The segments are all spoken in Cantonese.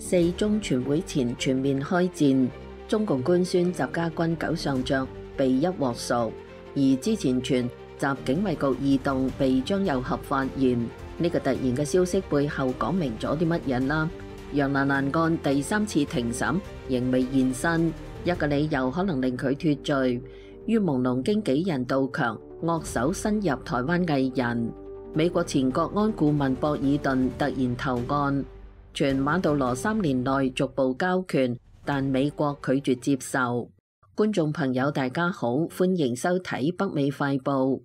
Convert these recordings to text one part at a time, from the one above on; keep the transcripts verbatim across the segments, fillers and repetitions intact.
四中全會前全面開戰，中共官宣習家軍九上將被一鑊熟，而之前傳習警衛局異動被張又俠發現，呢、這個突然嘅消息背後講明咗啲乜嘢啦？楊蘭蘭案第三次庭審仍未現身，一個理由可能令佢脫罪。於朦朧經紀人杜強惡手伸入台灣藝人，美國前國安顧問博爾頓突然投案。傳馬杜羅三年內逐步交權，但美國拒絕接受。觀眾朋友大家好，歡迎收睇北美快報。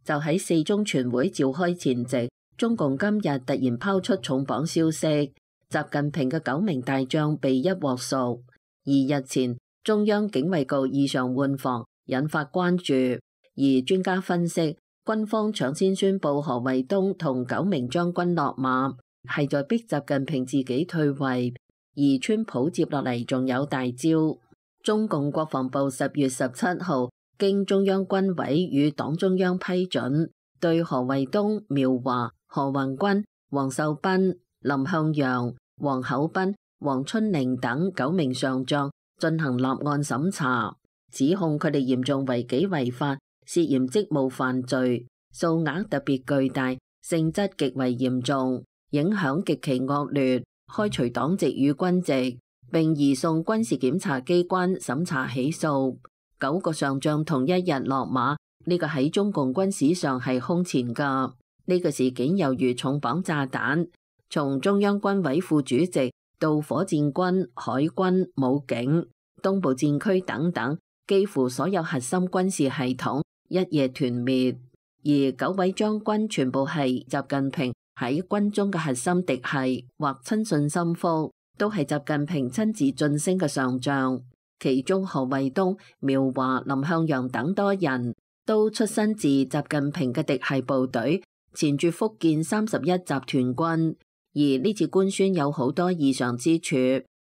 就喺四中全會召開前夕，中共今日突然拋出重磅消息，習近平嘅九名大將被一鑊熟。而日前中央警衛局異常換防，引發關注。而專家分析，軍方搶先宣布何衛東同九名將軍落馬，係在逼習近平自己退位。而川普接落嚟仲有大招。中共國防部十月十七號經中央軍委與黨中央批准，對何衛東、苗華、何宏軍、黃秀斌、林向陽、黃厚斌、黃春寧等九名上將進行立案審查，指控佢哋嚴重違紀違法，涉嫌職務犯罪，數額特別巨大，性質極為嚴重，影響極其惡劣，開除黨籍與軍籍，並移送軍事檢察機關審查起訴。九個上將同一日落馬，呢個喺中共軍史上係空前噶。呢個事件猶如重磅炸彈，從中央軍委副主席到火箭軍、海軍、武警、東部戰區等等，幾乎所有核心軍事系統一夜團滅，而九位將軍全部係習近平喺軍中嘅核心嫡系或親信心腹，都係習近平親自晉升嘅上將。其中何衛東、苗華、林向陽等多人都出身自習近平嘅嫡系部隊，前駐福建三十一集團軍。而呢次官宣有好多異常之處。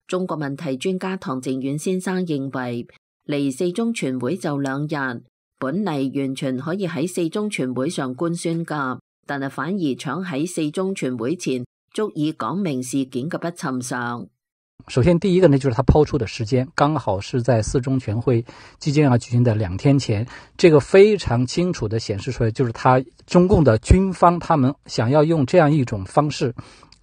中國問題專家唐靖遠先生認為，離四中全會就兩日，本嚟完全可以喺四中全會上官宣噶，但係反而搶喺四中全會前，足以講明事件嘅不尋常。首先第一個呢，就是他拋出的時間剛好是在四中全會即將要舉行的兩天前，這個非常清楚地顯示出來，就是他中共的軍方他們想要用這樣一種方式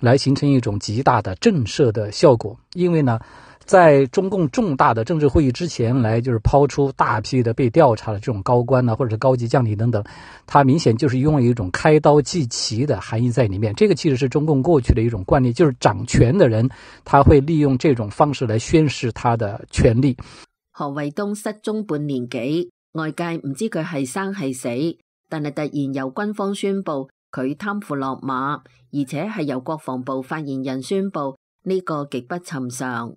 來形成一種極大的震懾的效果。因為呢，在中共重大的政治會議之前來就是拋出大批的被調查的這種高官啊，或者是高級將領等等，他明顯就是用了一種開刀祭旗的含義在裡面。這個其實是中共過去的一種慣例，就是掌權的人他會利用這種方式來宣示他的權力。何衛東失蹤半年幾，外界唔知佢係生係死，但係突然由軍方宣布佢貪腐落馬，而且係由國防部發言人宣布，呢個極不尋常。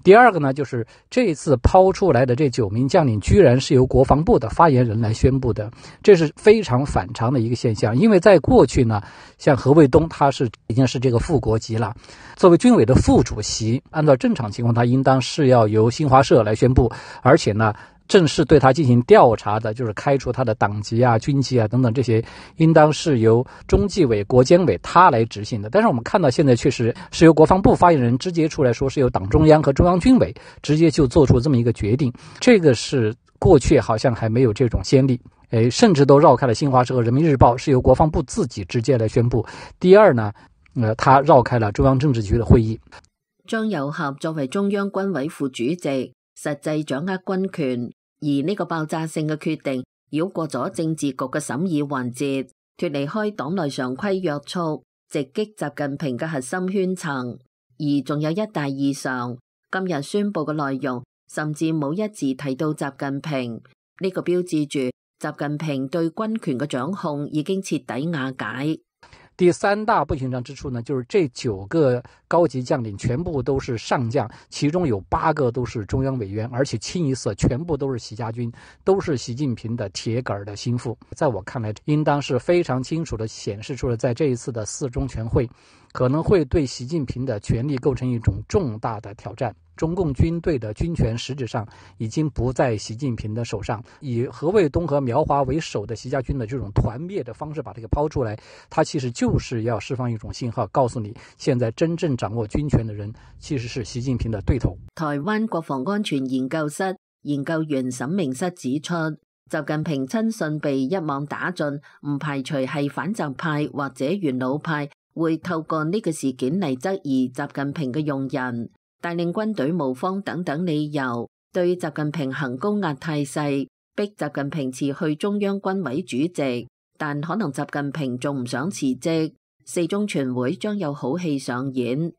第二個呢，就是這次拋出來的這九名將領居然是由國防部的發言人來宣布的，這是非常反常的一個現象。因為在過去呢，像何衛東他是已經是這個副國級了，作為軍委的副主席，按照正常情況他應當是要由新華社來宣布，而且呢正式對他進行調查的，就是開除他的黨籍啊、軍籍啊等等，這些應當是由中紀委、國監委他來執行的。但是我們看到現在確實是由國防部發言人直接出來說，是由黨中央和中央軍委直接就做出這麼一個決定，這個是過去好像還沒有這種先例，誒，甚至都繞開了新華社和人民日報，是由國防部自己直接來宣布。第二呢，呃，他繞開了中央政治局的會議。張又俠作為中央軍委副主席，實際掌握軍權，而呢個爆炸性嘅決定繞過咗政治局嘅審議環節，脫離開黨內常規約束，直擊習近平嘅核心圈層。而仲有一大異常，今日宣布嘅內容甚至冇一字提到習近平，呢個標誌住習近平對軍權嘅掌控已經徹底瓦解。第三大不尋常之處呢，就是這九個高級將領全部都是上將，其中有八個都是中央委員，而且清一色全部都是習家軍，都是習近平的鐵桿的心腹。在我看來，應當是非常清楚地顯示出了，在這一次的四中全會可能會對習近平的權力構成一種重大的挑戰。中共軍隊的軍權實質上已經不在習近平的手上，以何衛東和苗華為首的習家軍的這種團滅的方式把這個拋出來，他其實就是要釋放一種信號，告訴你現在真正掌握軍權的人其實是習近平的對頭。台灣國防安全研究室研究員沈明室指出，習近平親信被一網打盡，唔排除係反習派或者元老派會透過呢個事件嚟質疑習近平嘅用人，帶領軍隊無方等等理由，對習近平行高壓態勢，逼習近平辭去中央軍委主席。但可能習近平仲唔想辭職，四中全會將有好戲上演。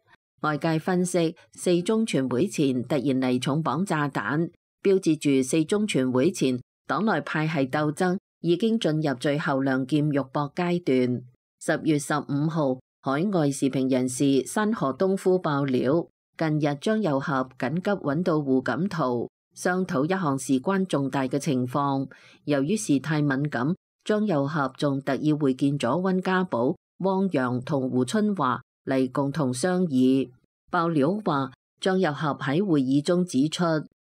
外界分析，四中全會前突然嚟重磅炸彈，標誌住四中全會前黨內派系鬥爭已經進入最後亮劍肉搏階段。十月十五號，海外時評人士山河東夫爆料，近日張又俠緊急揾到胡錦濤商討一項事關重大嘅情況，由於事態敏感，張又俠仲特意會見咗溫家寶、汪洋同胡春華嚟共同商議。爆料話，張又俠喺會議中指出，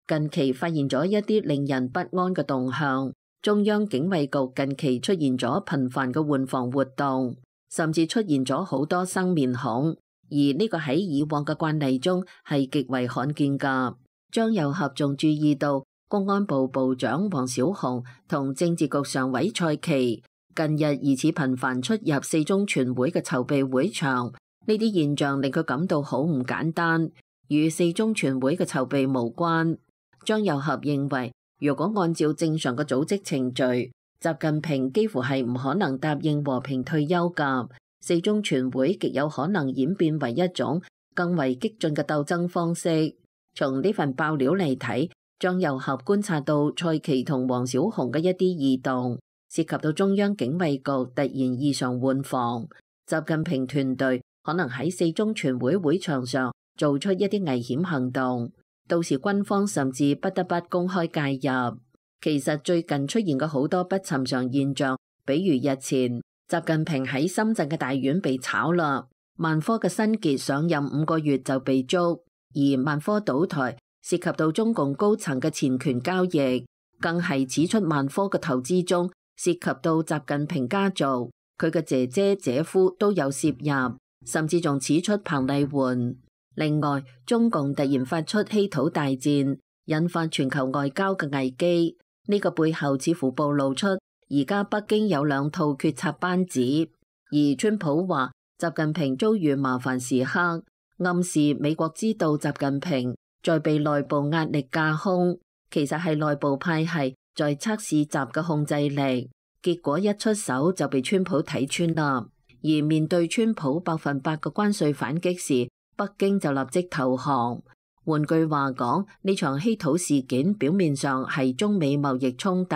近期發現咗一啲令人不安嘅動向，中央警衛局近期出現咗頻繁嘅換防活動，甚至出現咗好多生面孔，而呢個喺以往嘅慣例中係極為罕見㗎。張又俠仲注意到，公安部部長王小洪同政治局常委蔡奇近日疑似頻繁出入四中全會嘅籌備會場，呢啲現象令佢感到好唔簡單，與四中全會嘅籌備無關。張又俠認為，如果按照正常嘅組織程序，習近平幾乎係唔可能答應和平退休㗎。四中全會極有可能演變為一種更為激進嘅鬥爭方式。從呢份爆料嚟睇，張又俠觀察到蔡奇同王小洪嘅一啲異動，涉及到中央警衛局突然異常換防，習近平團隊可能喺四中全會會場上做出一啲危險行動，到時軍方甚至不得不公開介入。其實最近出現嘅好多不尋常現象，比如日前習近平喺深圳嘅大院被炒啦，萬科嘅新傑上任五個月就被捉，而萬科倒台涉及到中共高層嘅錢權交易，更係指出萬科嘅投資中涉及到習近平家族，佢嘅姐姐姐夫都有涉入，甚至仲指出彭麗媛。另外，中共突然發出稀土大戰，引發全球外交嘅危機，呢個背後似乎暴露出而家北京有兩套決策班子，而川普話習近平遭遇麻煩時刻，暗示美國知道習近平在被內部壓力架空，其實係內部派系在測試習嘅控制力，結果一出手就被川普睇穿啦。而面對川普百分百嘅關稅反擊時，北京就立即投降。換句話講，呢場稀土事件表面上係中美貿易衝突，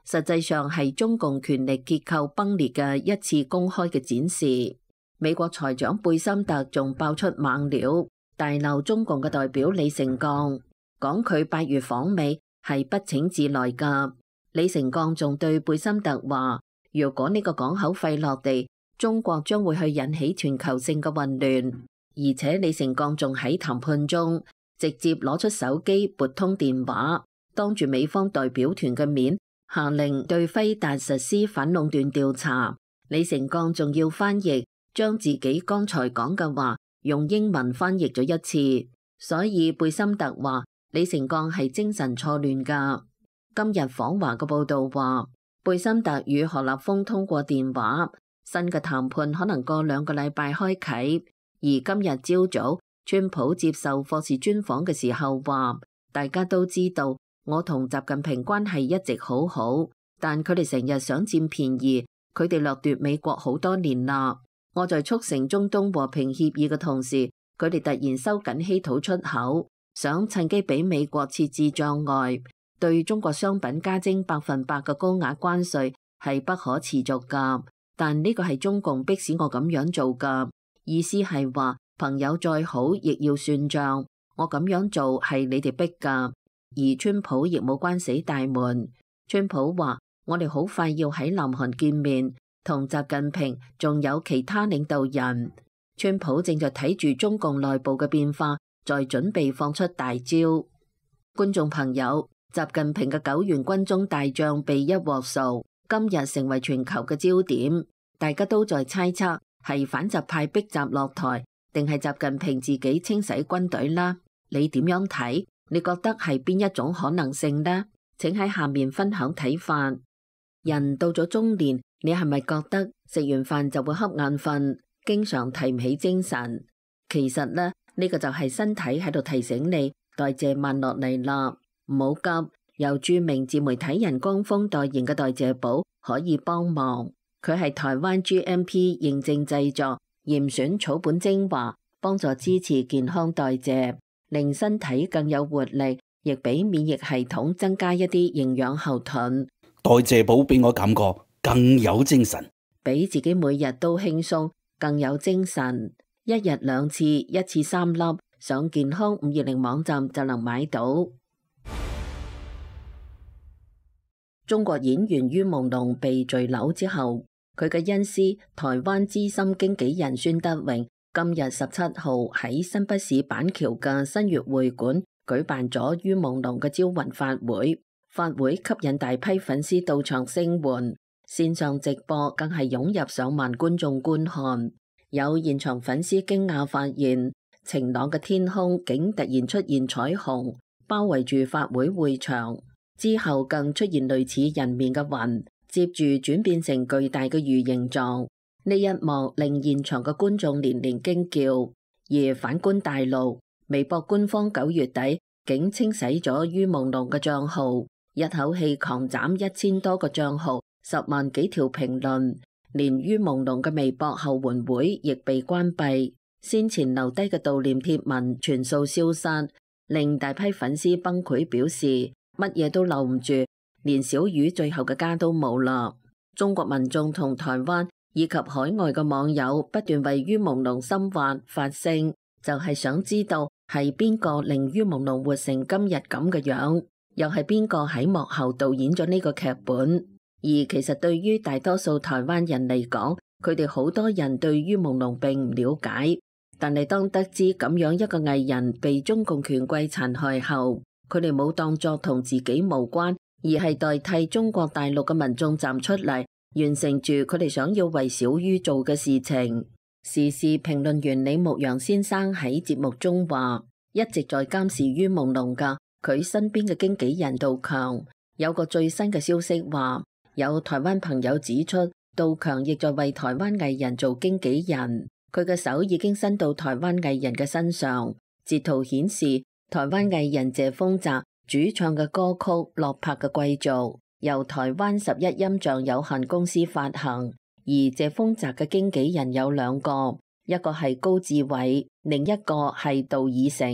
實際上係中共權力結構崩裂嘅一次公開嘅展示。美國財長貝森特仲爆出猛料，大鬧中共嘅代表李成鋼，講佢八月訪美係不請自來㗎。李成鋼仲對貝森特話，如果呢個港口廢落地，中國將會去引起全球性嘅混亂。而且李成鋼仲喺談判中直接攞出手機撥通電話，當住美方代表團嘅面下令對輝達實施反壟斷調查。李成鋼仲要翻譯，將自己剛才講嘅話用英文翻譯咗一次，所以貝森特話李成鋼係精神錯亂㗎。今日訪華嘅報道話，貝森特與何立峰通過電話，新嘅談判可能過兩個禮拜開啟。而今日朝早，川普接受霍士專訪嘅時候話，大家都知道我同習近平關係一直好好，但佢哋成日想佔便宜，佢哋掠奪美國好多年啦。我在促成中東和平協議嘅同時，佢哋突然收緊稀土出口，想趁機俾美國設置障礙，對中國商品加徵百分百嘅高額關稅係不可持續㗎。但呢個係中共迫使我咁樣做㗎。意思係話，朋友再好亦要算賬，我咁樣做係你哋逼㗎。而川普亦冇關死大門。川普話，我哋好快要喺南韓見面，同習近平仲有其他領導人。川普正在睇住中共內部嘅變化，在準備放出大招。觀眾朋友，習近平嘅九員軍中大將被一鑊熟，今日成為全球嘅焦點，大家都在猜測係反習派逼習落台，定係習近平自己清洗軍隊啦？你點樣睇？你覺得係邊一種可能性呢？請喺下面分享睇法。人到咗中年，你係咪覺得食完飯就會瞌眼瞓，經常提唔起精神？其實呢，呢個就係身體喺度提醒你代謝慢落嚟啦，唔好急。由著名自媒體人江峰代言嘅代謝寶可以幫忙，佢係台灣 G M P 認證製作，嚴選草本精華，幫助支持健康代謝，令身體更有活力，亦俾免疫系統增加一啲營養後盾。代謝寶俾我感覺更有精神，俾自己每日都輕鬆，更有精神。一日兩次，一次三粒，上健康五二零網站就能買到。中國演員于朦朧被墜樓之後，佢嘅恩師台灣資深經紀人孫德榮今日十七號喺新北市板橋嘅新月會館舉辦咗于朦朧嘅招魂法會，法會吸引大批粉絲到場聲援，線上直播更係湧入上萬觀眾觀看。有現場粉絲驚訝發現，晴朗嘅天空竟突然出現彩虹，包圍住法會會場。之後更出現類似人面嘅雲，接住轉變成巨大嘅魚形狀。呢一幕令現場嘅觀眾連連驚叫。而反觀大陸，微博官方九月底竟清洗咗于朦朧嘅賬號，一口氣狂斬一千多個賬號，十萬幾條評論，連于朦朧嘅微博後援會亦被關閉，先前留低嘅悼念貼文全數消失，令大批粉絲崩潰，表示乜嘢都留唔住，連小魚最後嘅家都冇啦。中國民眾同台灣以及海外嘅網友不斷為于朦朧深挖發聲，就係想知道係邊個令于朦朧活成今日咁嘅樣，又係邊個喺幕後導演咗呢個劇本。而其實對於大多數台灣人嚟講，佢哋好多人對于朦朧並唔了解，但係當得知咁樣一個藝人被中共權貴殘害後，佢哋冇當作同自己無關，而係代替中國大陸嘅民眾站出嚟，完成住佢哋想要為小于做嘅事情。時事評論員李牧陽先生喺節目中話，一直在監視于朦朧嘅佢身邊嘅經紀人杜強，有個最新嘅消息話，有台灣朋友指出，杜強亦在為台灣藝人做經紀人，佢嘅手已經伸到台灣藝人嘅身上。截圖顯示，台灣藝人謝豐澤主唱嘅歌曲《落魄嘅貴族》由台灣十一音像有限公司發行，而謝豐澤嘅經紀人有兩個，一個係高志偉，另一個係杜以成，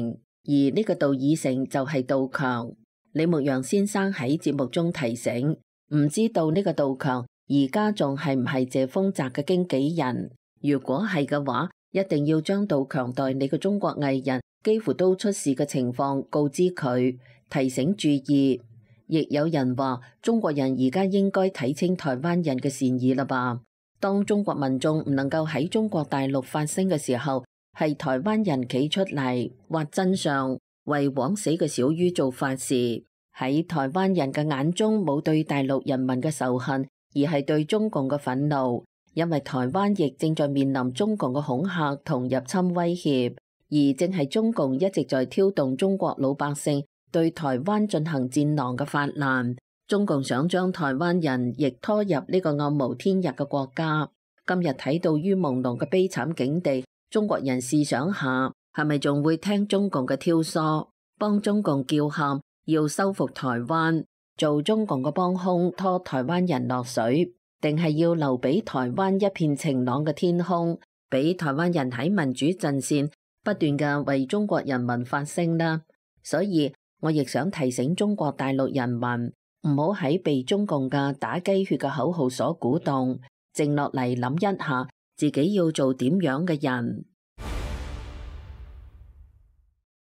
而呢個杜以成就係杜強。李牧陽先生喺節目中提醒，唔知道呢個杜強而家仲係唔係謝豐澤嘅經紀人？如果係嘅話，一定要將杜強代理嘅中國藝人幾乎都出事嘅情況告知佢，提醒注意。亦有人話，中國人而家應該睇清台灣人嘅善意啦吧？當中國民眾唔能夠喺中國大陸發聲嘅時候，係台灣人企出嚟挖真相，為枉死嘅小于做法事。喺台灣人嘅眼中，冇對大陸人民嘅仇恨，而係對中共嘅憤怒，因為台灣亦正在面臨中共嘅恐嚇同入侵威脅。而正係中共一直在挑動中國老百姓對台灣進行戰狼嘅發難，中共想將台灣人亦拖入呢個暗無天日嘅國家。今日睇到于朦朧嘅悲慘境地，中國人試想下，係咪仲會聽中共嘅挑唆，幫中共叫喊要收復台灣，做中共嘅幫兇拖台灣人落水，定係要留俾台灣一片晴朗嘅天空，俾台灣人喺民主陣線不斷嘅為中國人民發聲啦？所以我亦想提醒中國大陸人民，唔好喺被中共嘅打雞血嘅口號所鼓動，靜落嚟諗一下自己要做點樣嘅人。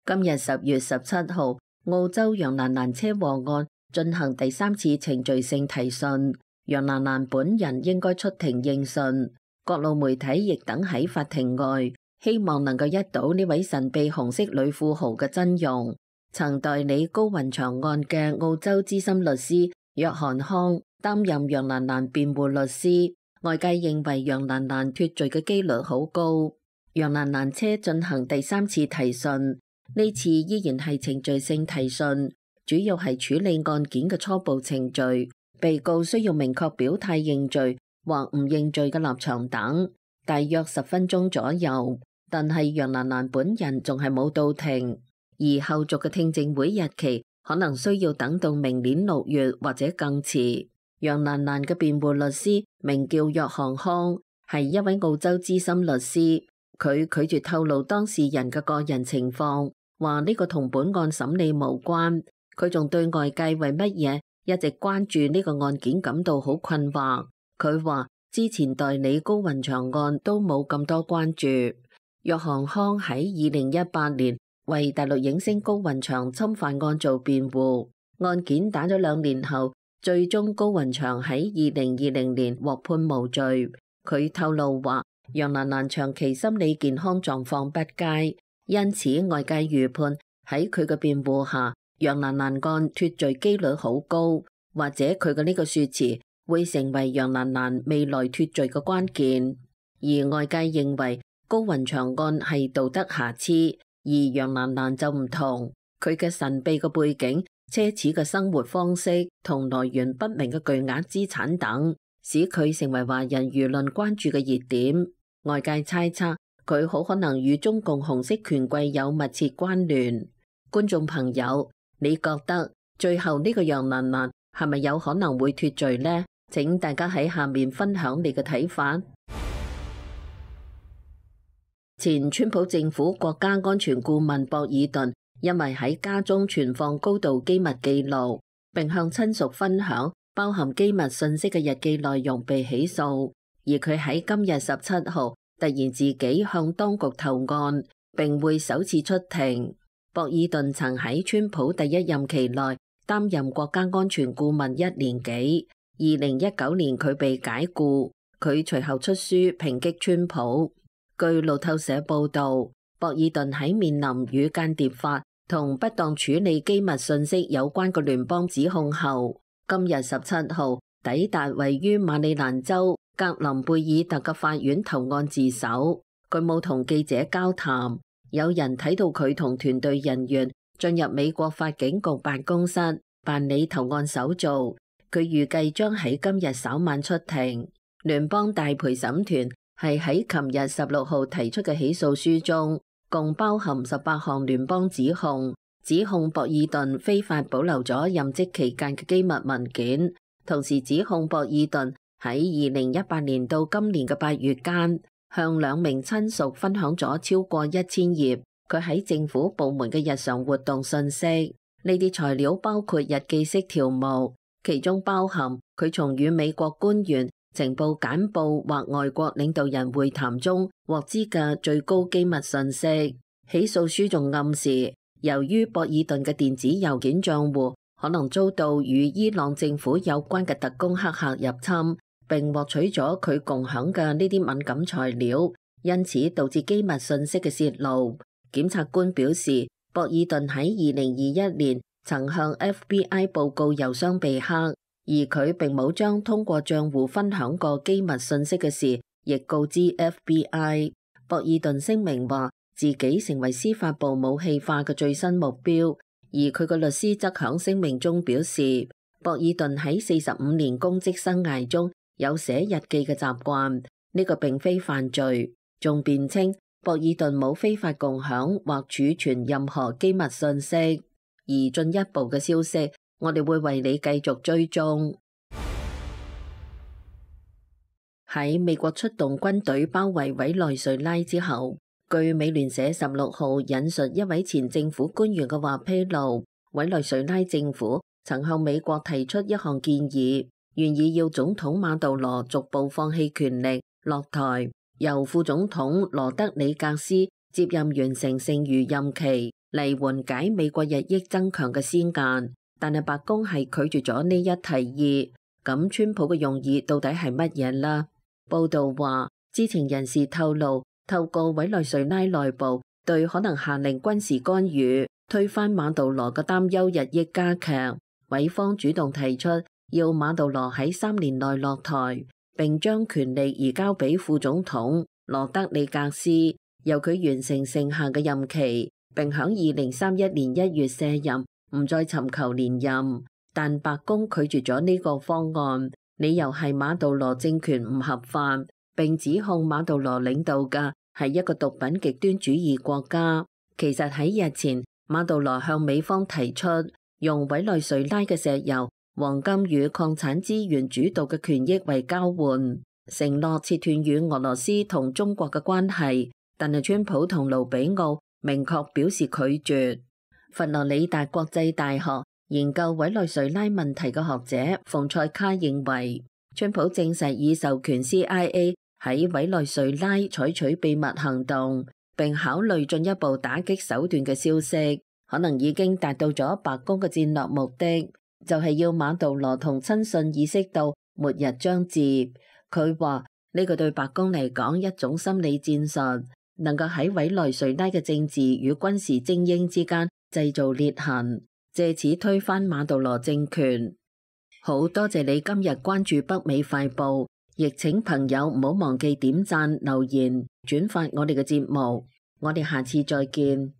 今日十月十七號，澳洲楊蘭蘭車禍案進行第三次程序性提訊，楊蘭蘭本人應該出庭應訊，各路媒體亦等喺法庭外。希望能夠一睹呢位神秘紅色女富豪嘅真容。曾代理高雲翔案嘅澳洲資深律師約翰康擔任楊蘭蘭辯護律師，外界認為楊蘭蘭脫罪嘅機率好高。楊蘭蘭車進行第三次提訊，呢次依然係程序性提訊，主要係處理案件嘅初步程序，被告需要明確表態認罪或唔認罪嘅立場等，大約十分鐘左右。但係楊蘭蘭本人仲係冇到庭，而後續嘅聽證會日期可能需要等到明年六月或者更遲。楊蘭蘭嘅辯護律師名叫約翰康，係一位澳洲資深律師，佢拒絕透露當事人嘅個人情況，話呢個同本案審理無關。佢仲對外界為乜嘢一直關注呢個案件感到好困惑。佢話之前代理高雲翔案都冇咁多關注。約翰康喺二零一八年為大陸影星高雲翔侵犯案做辯護，案件打咗兩年後，最終高雲翔喺二零二零年獲判無罪。佢透露話，楊蘭蘭長期心理健康狀況不佳，因此外界預判喺佢嘅辯護下，楊蘭蘭案脫罪機率好高，或者佢嘅呢個說辭會成為楊蘭蘭未來脫罪嘅關鍵。而外界認為高雲翔案係道德瑕疵，而楊蘭蘭就唔同，佢嘅神秘嘅背景、奢侈嘅生活方式同來源不明嘅巨額資產等，使佢成為華人輿論關注嘅熱點。外界猜測佢好可能與中共紅色權貴有密切關聯。觀眾朋友，你覺得最後呢個楊蘭蘭係咪有可能會脫罪呢？請大家喺下面分享你嘅睇法。前川普政府國家安全顧問博爾頓因為喺家中存放高度機密記錄，並向親屬分享包含機密信息嘅日記內容被起訴，而佢喺今日十七號突然自己向當局投案，並會首次出庭。博爾頓曾喺川普第一任期內擔任國家安全顧問一年幾，二零一九年佢被解僱，佢隨後出書抨擊川普。據路透社報道，博爾頓喺面臨與間諜法同不當處理機密信息有關嘅聯邦指控後，今日十七號抵達位於馬里蘭州格林貝爾特嘅法院投案自首。佢冇同記者交談，有人睇到佢同團隊人員進入美國法警局辦公室辦理投案手續。佢預計將喺今日稍晚出庭。聯邦大陪審團係喺琴日十六號提出嘅起訴書中，共包含十八項聯邦指控，指控博爾頓非法保留咗任職期間嘅機密文件，同時指控博爾頓喺二零一八年到今年嘅八月間，向兩名親屬分享咗超過一千頁佢喺政府部門嘅日常活動信息。呢啲材料包括日記式條目，其中包含佢從與美國官員、情報簡報或外國領導人會談中獲知嘅最高機密信息。起訴書仲暗示，由於博爾頓嘅電子郵件賬戶可能遭到與伊朗政府有關嘅特工黑客入侵，並獲取咗佢共享嘅呢啲敏感材料，因此導致機密信息嘅泄露。檢察官表示，博爾頓喺二零二一年曾向 F B I 報告郵箱被黑，而佢並冇將通過賬戶分享過機密信息嘅事亦告知 F B I。 博爾頓聲明話自己成為司法部武器化嘅最新目標，而佢嘅律師則響聲明中表示，博爾頓喺四十五年公職生涯中有寫日記嘅習慣，呢個並非犯罪，仲辯稱博爾頓冇非法共享或儲存任何機密信息。而進一步嘅消息，我哋會為你繼續追蹤。喺美國出動軍隊包圍委內瑞拉之後，據美聯社十六號引述一位前政府官員嘅話披露，委內瑞拉政府曾向美國提出一項建議，願意要總統馬杜羅逐步放棄權力落台，由副總統羅德里格斯接任完成剩餘任期，嚟緩解美國日益增強嘅施壓。但係白宮係拒絕咗呢一提議。咁川普嘅用意到底係乜嘢呢？報道話，知情人士透露，透過委內瑞拉內部對可能下令軍事干預、推翻馬杜羅嘅擔憂日益加劇，委方主動提出要馬杜羅喺三年內落台，並將權力移交俾副總統羅德里格斯，由佢完成剩下嘅任期，並響二零三一年一月卸任，唔再尋求連任。但白宮拒絕咗呢個方案，理由係馬杜羅政權唔合法，並指控馬杜羅領導嘅係一個毒品極端主義國家。其實喺日前，馬杜羅向美方提出用委內瑞拉嘅石油、黃金與礦產資源主導嘅權益為交換，承諾切斷與俄羅斯同中國嘅關係。但係川普同盧比奧明確表示拒絕。佛羅里達國際大學研究委內瑞拉問題嘅學者馮塞卡認為，川普證實已授權 C I A 喺委內瑞拉採取秘密行動，並考慮進一步打擊手段嘅消息，可能已經達到咗白宮嘅戰略目的，就係要馬杜羅同親信意識到末日將至。佢話呢個對白宮嚟講一種心理戰術，能夠喺委內瑞拉嘅政治與軍事精英之間製造裂痕，借此推翻馬杜羅政權。好多謝你今日關注北美快報，亦請朋友唔好忘記點讚、留言、轉發我哋嘅節目。我哋下次再見。